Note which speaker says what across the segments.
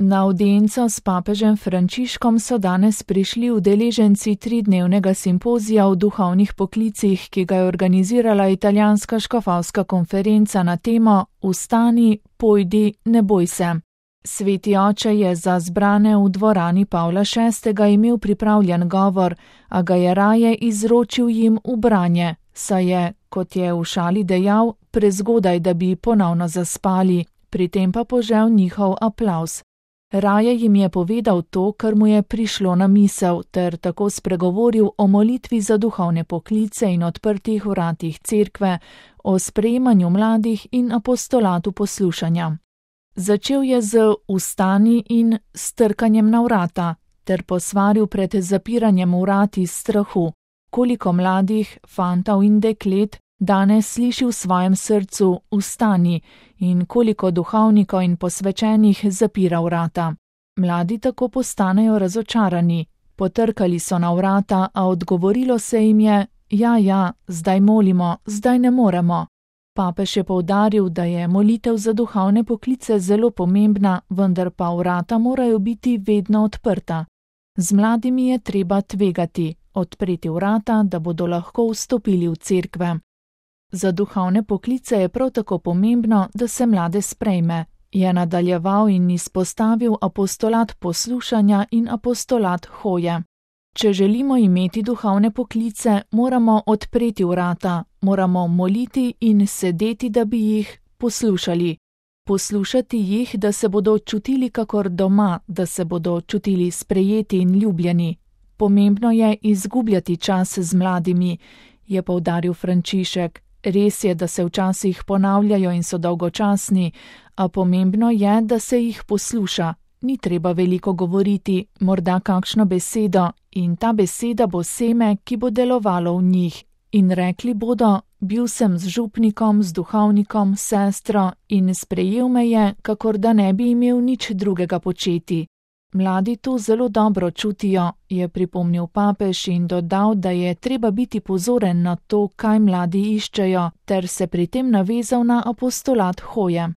Speaker 1: Na avdienco s papežem Frančiškom so danes prišli udeleženci 3-dnevnega simpozija o duhovnih poklicih, ki ga je organizirala italijanska škofovska konferenca na temo Vstani, pojdi, ne boj se. Sveti oče je za zbrane v dvorani Pavla VI. Imel pripravljen govor, a ga je raje izročil jim v branje, saj je, kot je v šali dejal, prezgodaj, da bi ponovno zaspali, pri tem pa požel njihov aplavz. Raje jim je povedal to, kar mu je prišlo na misel, ter tako spregovoril o molitvi za duhovne poklice in odprtih vratih cerkve, o sprejemanju mladih in apostolatu poslušanja. Začel je z vstani in strkanjem na vrata, ter posvaril pred zapiranjem vrat iz strahu. Koliko mladih, fantov in deklet danes sliši v svojem srcu vstani in koliko duhovnikov in posvečenih zapira vrata. Mladi tako postanejo razočarani. Potrkali so na vrata, a odgovorilo se jim je: ja, zdaj molimo, zdaj ne moremo. Papež je poudaril, da je molitev za duhovne poklice zelo pomembna, vendar pa vrata morajo biti vedno odprta. Z mladimi je treba tvegati, odpreti vrata, da bodo lahko vstopili v cerkve. Za duhovne poklice je prav tako pomembno, da se mlade sprejme, je nadaljeval in izpostavil apostolat poslušanja in apostolat hoje. Če želimo imeti duhovne poklice, moramo odpreti vrata, moramo moliti in sedeti, da bi jih poslušali. Poslušati jih, da se bodo čutili kakor doma, da se bodo čutili sprejeti in ljubljeni. Pomembno je izgubljati čas z mladimi, je poudaril Frančišek. Res je, da se včasih ponavljajo in so dolgočasni, a pomembno je, da se jih posluša. Ni treba veliko govoriti, morda kakšno besedo, in ta beseda bo seme, ki bo delovalo v njih. In rekli bodo: bil sem z župnikom, z duhovnikom, sestro in sprejel me je, kakor da ne bi imel nič drugega početi. Mladi to zelo dobro čutijo, je pripomnil papež in dodal, da je treba biti pozoren na to, kaj mladi iščejo, ter se pri tem navezal na apostolat hoje.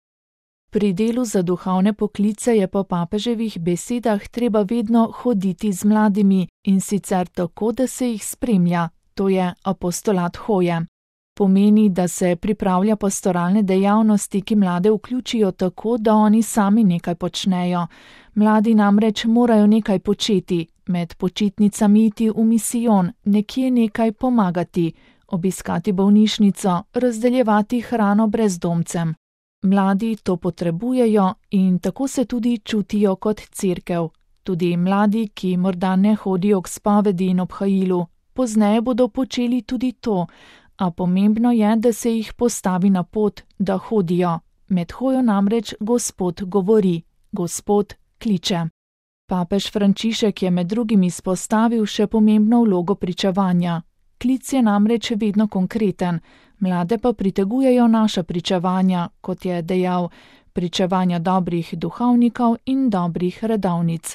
Speaker 1: Pri delu za duhovne poklice je po papeževih besedah treba vedno hoditi z mladimi, in sicer tako, da se jih spremlja, to je apostolat hoje. Pomeni, da se pripravlja pastoralne dejavnosti, ki mlade vključijo tako, da oni sami nekaj počnejo. Mladi namreč morajo nekaj početi, med počitnicami iti v misijon, nekje nekaj pomagati, obiskati bolnišnico, razdeljevati hrano brezdomcem. Mladi to potrebujejo in tako se tudi čutijo kot cerkev. Tudi mladi, ki morda ne hodijo k spovedi in obhajilu, pozneje bodo počeli tudi to, a pomembno je, da se jih postavi na pot, da hodijo. Med hojo namreč Gospod govori, Gospod kliče. Papež Frančišek je med drugim izpostavil še pomembno vlogo pričevanja. Klic je namreč vedno konkreten, mlade pa pritegujejo naša pričevanja, kot je dejal, pričevanja dobrih duhovnikov in dobrih redovnic.